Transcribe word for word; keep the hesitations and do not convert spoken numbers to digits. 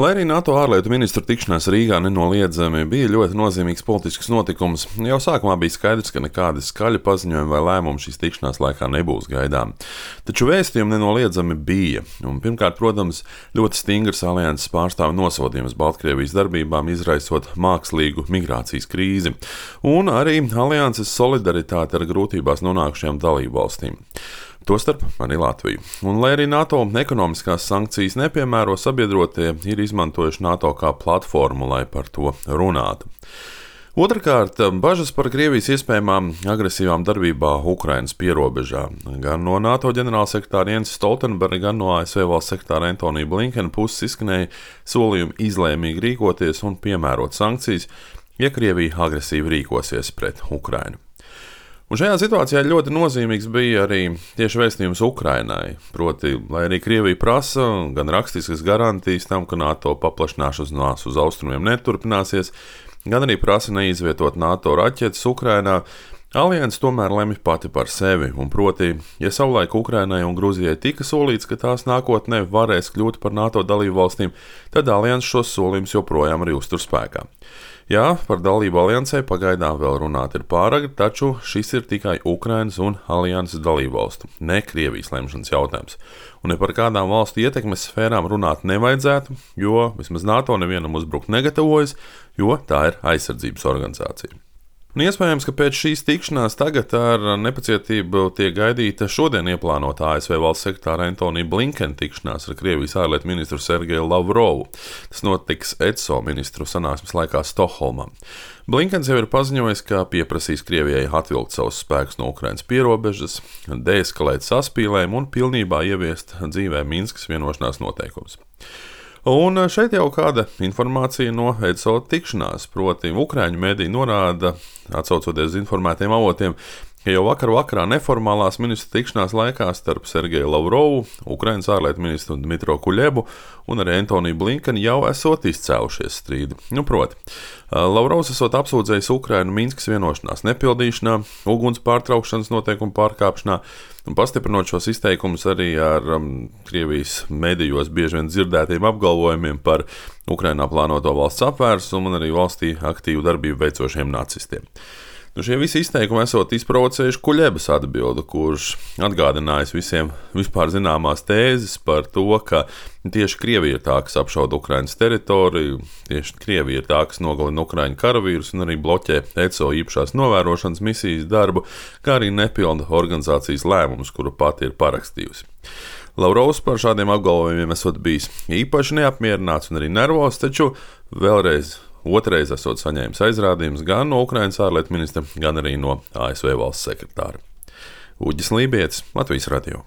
Lai arī NATO ārlietu ministru tikšanās Rīgā nenoliedzami bija ļoti nozīmīgs politisks notikums, jau sākumā bija skaidrs, ka nekādi skaļi paziņojumi vai lēmumi šīs tikšanās laikā nebūs gaidām. Taču vēstījumi nenoliedzami bija, un pirmkārt, protams, ļoti stingrs alianses pārstāvu nosodījums Baltkrievijas darbībām, izraisot mākslīgu migrācijas krīzi, un arī alianses solidaritāte ar grūtībās nonākušajām dalībvalstīm. Tostarp arī Latviju. Un, lai arī NATO ekonomiskās sankcijas nepiemēro, sabiedrotie ir izmantojuši NATO kā platformu, lai par to runātu. Otrakārt, bažas par Krievijas iespējamām agresīvām darbībām Ukrainas pierobežā. Gan no NATO ģenerālsekretāra Jensa Stoltenberga, gan no A S V valsts sekretāra Antonija Blinkena puses izskanēja solījumi izlēmīgi rīkoties un piemērot sankcijas, ja Krievija agresīvi rīkosies pret Ukrainu. Un šajā situācijā ļoti nozīmīgs bija arī tieši vēstījums Ukrainai, proti, lai arī Krievija prasa gan rakstiskas garantijas tam, ka NATO paplašināšanās uz austrumiem neturpināsies, gan arī prasa neizvietot NATO raķetes Ukrainā, alianse tomēr lemj pati par sevi, un proti, ja savulaik Ukrainai un Gruzijai tika solīts, ka tās nākotnē varēs kļūt par NATO dalību valstīm, tad alianse šos solījumus joprojām arī uztur spēkā. Jā, par dalību aliansē pagaidām vēl runāt ir pāragri, taču šis ir tikai Ukrainas un alianses dalību valstu, ne Krievijas lemšanas jautājums. Un ne par kādām valstu ietekmes sfērām runāt nevajadzētu, jo vismaz NATO nevienam uzbrukt negatavojas, jo tā ir aizsardzības organizācija. Un iespējams, ka pēc šīs tikšanās tagad ar nepacietību tiek gaidīta šodien ieplānota A S V valsts sekretāra Antonija Blinkena tikšanās ar Krievijas ārlietu ministru Sergeju Lavrovu. Tas notiks E D S O ministru sanāksmes laikā Stokholmā. Blinkens jau ir paziņojis, ka pieprasīs Krievijai atvilkt savus spēkus no Ukrainas pierobežas, deeskalēt saspīlējumu un pilnībā ieviest dzīvē Minskas vienošanās noteikumus. Un šeit jau kāda informācija no E D S O tikšanās, proti Ukraiņu mediji norāda, atsaucoties uz informētiem avotiem, ka jau vakar vakarā neformālās ministru tikšanās laikā starp Sergeju Lavrovu, Ukrainas ārlietu ministru Dmitro Kuļebu un arī Antoniju Blinkenu jau esot izcēlušies strīdi. Nu, proti, Lavrovs esot apsūdzējis Ukrainu Minskas vienošanās nepildīšanā, uguns pārtraukšanas noteikumu pārkāpšanā, un pastiprinot šos izteikumus arī ar um, Krievijas medijos bieži vien dzirdētiem apgalvojumiem par Ukrainā plānoto valsts apvērsumu un arī valstī aktīvu darbību veicošiem nacistiem. Nu, šie visi izteikumi esot izprovocējuši Kuļebas atbildi, kurš atgādinājis visiem vispār zināmās tēzes par to, ka tieši Krievija ir tā, kas apšauda Ukrainas teritoriju, tieši Krievija ir tā, kas nogalina Ukraiņu karavīrus un arī bloķē E D S O īpašās novērošanas misijas darbu, kā arī nepilda organizācijas lēmumus, kuru pati ir parakstījusi. Lavrovs par šādiem apgalvojumiem esot bijis īpaši neapmierināts un arī nervos, taču vēlreiz Otrais esot saņēmis aizrādījumus gan no Ukrainas ārlietu ministra, gan arī no A S V valsts sekretāra. Uģis Lībietis, Latvijas radio.